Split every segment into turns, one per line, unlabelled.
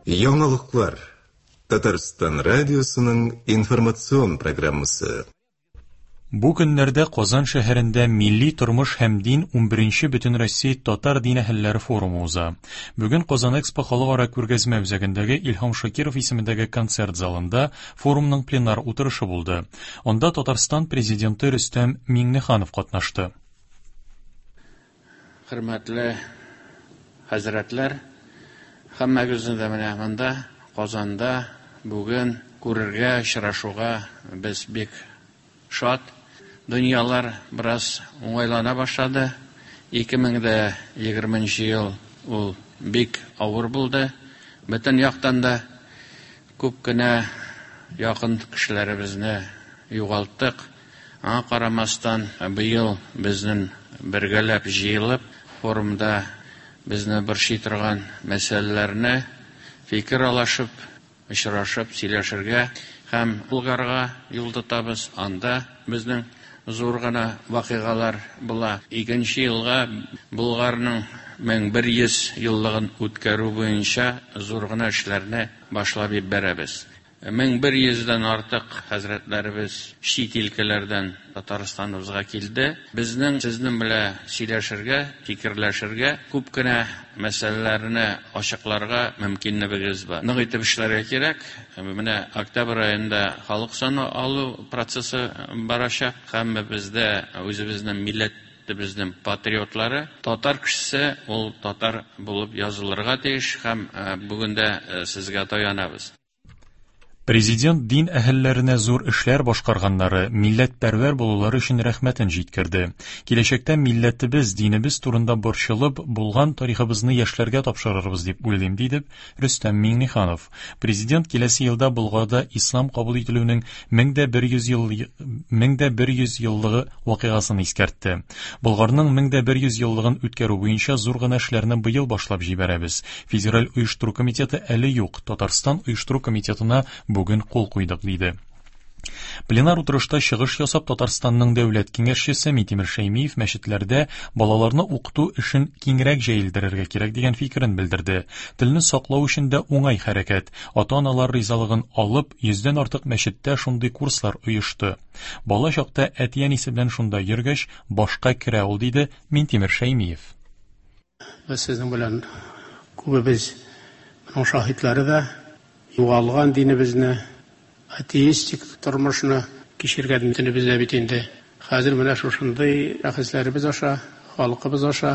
Яңалыклар. Татарстан радиосының информацион программасы.
Бу көннәрдә Казан шәһәрендә Милли тормыш һәм дин 11нче Бөтенроссия татар дин әһелләре форумы уза. Бүген Казан Экспо халыкара күргәзмә үзәгендәге Илһам Шакиров исемендәге концерт залында форумның пленар утырышы булды. Анда Татарстан Президенты Рөстәм Миңнеханов катнашты.
Хөрмәтле хәзрәтләр, һәммәгезне дә менә монда, Казанда бүген күрергә, очрашуга без бик шат. Дөньялар бераз уңайлана башлады. 2020 нче ел ул бик авыр булды. Бөтен яктан да күп кенә якын кешеләребезне югалттык. Аңа карамастан, быел безнең бергәләп җыелып, форумда безне борчый торган мәсьәләләрне фикер алышып, очрашып сөйләшергә һәм Болгарга юл тотабыз. Анда безнең зур гына вакыйгалар була. Икенче елга Болгарның 1100 еллыгын үткәрү буенча зур гына эшләрне башлап җибәрәбез. 1100 дән артык хәзрәтләребез чит илкәләрдән Татарстаныбызга килде. Безнең сезнең белән сөйләшергә, фикерләшергә, күп кенә мәсьәләләрне ачыкларга мөмкинлегебез бар. Нык итеп эшләргә кирәк. Менә октябрь аенда халык саны алу процессы барачак. Һәммәбез дә үзебезнең милләтебезнең патриотлары. Татар кешесе ул татар булып язылырга тиеш һәм бүген дә сезгә таянабыз.
Президент дин әһелләренә зур эшләр башкарганнары, милләтпәрвәр булулары өчен рәхмәтен җиткерде. Киләчәктә милләтебез, динебез турында борчылып, булган тарихыбызны яшьләргә тапшырырбыз дип уйлыйм, диде Рөстәм Миңнеханов. Президент киләсе елда Болгарда ислам кабул ителүнең 1100 ел 1100 еллыгы вакыйгасын искәртте. Болгарның 1100 еллыгын үткәрү буенча зур гына эшләрне быел башлап җибәрәбез. Федераль оештыру комитеты әле юк. Татарстан оештыру комитетына бүген кул куйдык, диде. Пленар утырышта чыгыш ясап Татарстанның дәүләт киңәшчесе Минтимер Шәймиев мәчетләрдә балаларны укыту эшен киңрәк җәелдерергә кирәк дигән фикерен белдерде. Телне саклау өчен дә уңай хәрәкәт. Ата-аналар ризалыгын алып, йөздән артык мәчеттә шундый курслар оешты. Бала чакта әти-әнисе белән шунда йөргәч, башка керә ул, диде Минтимер Шәймиев.
Без сезнең белән күбебез моның шаһитлары да, югалган динебезне, атеистик тормышны кичергән бөтенебез дә бит инде. Хәзер менә шушындый шәхесләребез аша, халкыбыз аша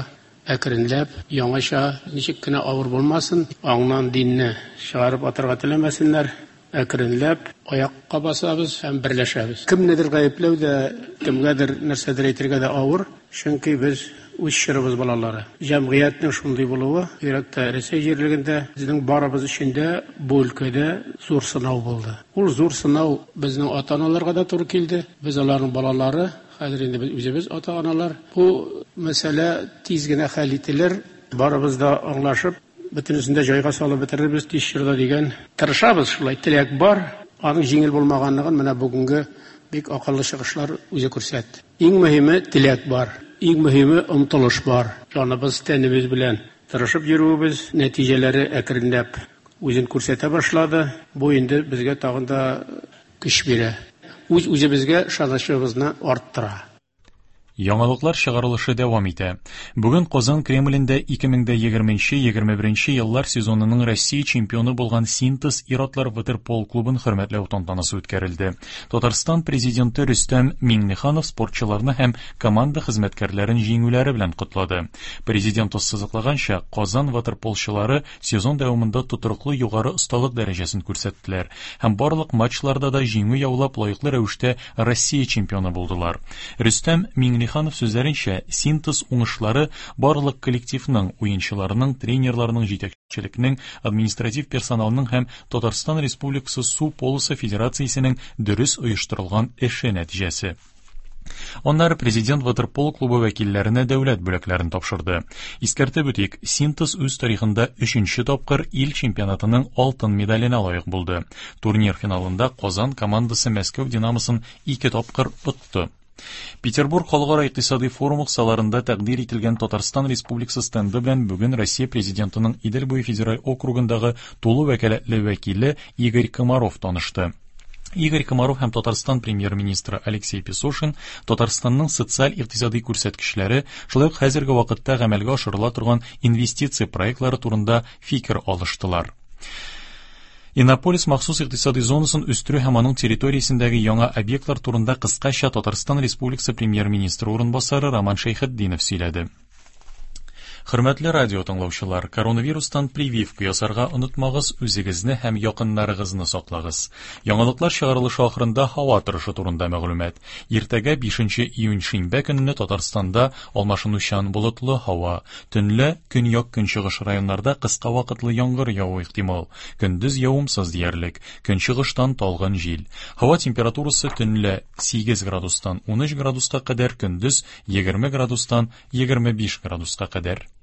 әкренләп яңача, ничек кенә авыр булмасын, аңнан динне чыгарып атарга теләмәсеннәр, әкренләп аякка басабыз һәм берләшәбез. Кемнедер гаепләү дә, кемгәдер нәрсәдер әйтергә дә авыр, чөнки без үз чорыбыз балалары. Җәмгыятьнең шундый булуы, бигрәк тә Рәсәй җирлегендә, безнең барыбыз өчен дә бу өлкәдә зур сынау булды. Ул зур сынау безнең ата-аналарга да туры килде. Без аларның балалары, хәзер инде без үзебез ата-аналар. Бу мәсьәлә тиз генә хәл ителер, барыбыз да аңлашып, бөтенесен дә җайга салып бетерербез тиз чорда дигән. Тырышабыз шулай, теләк бар. Аның җиңел булмаганлыгын менә бүгенге бик акыллы чыгышлар үзе күрсәтте. Иң мөһиме теләк бар, иң мөһиме омтылыш бар. Җаныбыз, тәнебез белән тырышып йөрүебез нәтиҗәләре әкренләп үзен күрсәтә башлады. Бу инде безгә тагын да көч бирә. Үз-үзебезгә ышанычыбызны арттыра.
Яңалыклар чыгарылышы дәвам итә. Бүген Казан Кремлендә 2020-21 еллар сезонының Россия чемпионы булган Синтез ир-атлар ватерпол клубын хөрмәтләү тантанасы үткәрелде. Татарстан президенты Рөстәм Миңнеханов спортчыларны һәм команда хезмәткәрләрен җиңүләре белән котлады. Президент ассызыклаганча, Казан ватерполчылары сезон дәвамында тотрыклы югары осталык дәрәҗәсен күрсәттеләр һәм барлык матчларда да җиңү яулап лаеклы рәвештә Россия чемпионы булдылар. Рөстәм Миңнеханов сүзләренчә, синтез уңышлары барлык коллективның, уенчыларның, тренерларның, җитәкчелекнең, административ персоналның һәм Татарстан Республикасы Су полосы федерациясенең дөрес оештырылган эше нәтиҗәсе. Аннары президент ватерпол клубы вәкилләренә дәүләт бүләкләрен тапшырды. Искәртеп үтик, Синтез үз тарихында өченче тапкыр ил чемпионатының алтын медаленә лаек булды. Турнир финалында Казан командасы Мәскәү Динамосын ике тапкыр отты. Петербург халыкара икътисади форумы кысаларында тәкъдир ителгән Татарстан Республикасы стенды белән бүген Россия Президентының Идел буе федераль округындагы тулы вәкаләтле вәкиле Игорь Комаров танышты. Игорь Комаров һәм Татарстан премьер-министры Алексей Песошин Татарстанның социаль-икътисади күрсәткечләре, шулай ук хәзерге вакытта гамәлгә ашырыла торган инвестиция проектлары турында фикер алыштылар. Иннополис махсус икътисади зонасын үстерү һәм аның территориясендәге яңа объектлар турында кыскача Татарстан Республикасы премьер-министры урынбасары Роман Шәйхетдинов сөйләде. Хөрмәтле радио тыңлаучылар, коронавирустан прививка ясарга онытмагыз, үзегезне һәм якыннарыгызны саклагыз. Яңалыклар чыгарылышы ахырында һава торышы турында мәгълүмат. Иртәгә 5 июнь шимбә көнне Татарстанда алмашынучан болытлы һава. Төнлә көньяк-көнчыгыш районнарда кыска вакытлы яңгыр явуы ихтимал. Көндез явымсыз диярлек. Көнчыгыштан талгын җил. Һава температурасы төнлә 8 градустан 13 градуска кадәр, көндез 20 градустан 25 градуска кадәр.